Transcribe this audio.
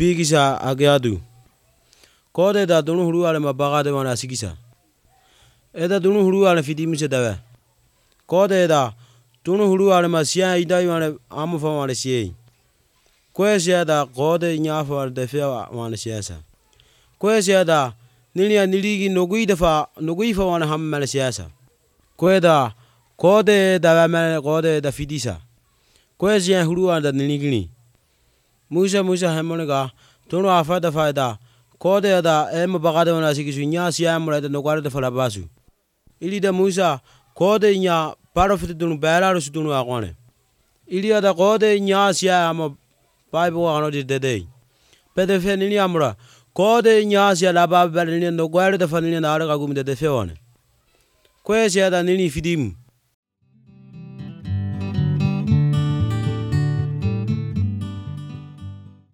Pigisa ageadu. Kode da dunu huru ale mabagade wana sigisa. Eda dunu huru ale fidimisa dawe. Kode da dunu huru ale masia idai wana amufa wana siye. Kwesi da kode nyafa wana defea wana siasa. Kwesi da nilia niligi noguifa wana hammala siasa. Kweda kode da wamale kode da fidisa. Kwesi huru wana niligini. Musa hemonega tunu afada faida kode da mabagade wana sigisu nya siya mura da nogare da fala basu. Ili da Musa kode nya parofit dunu Belarus dunu akwane. Ili da kode nya siya ama Bible wano di dede. Pede fe nili amura kode nya siya la Bible nili nogare da fala nili na araga gumi da defe wane. Kwesi da nili fidim.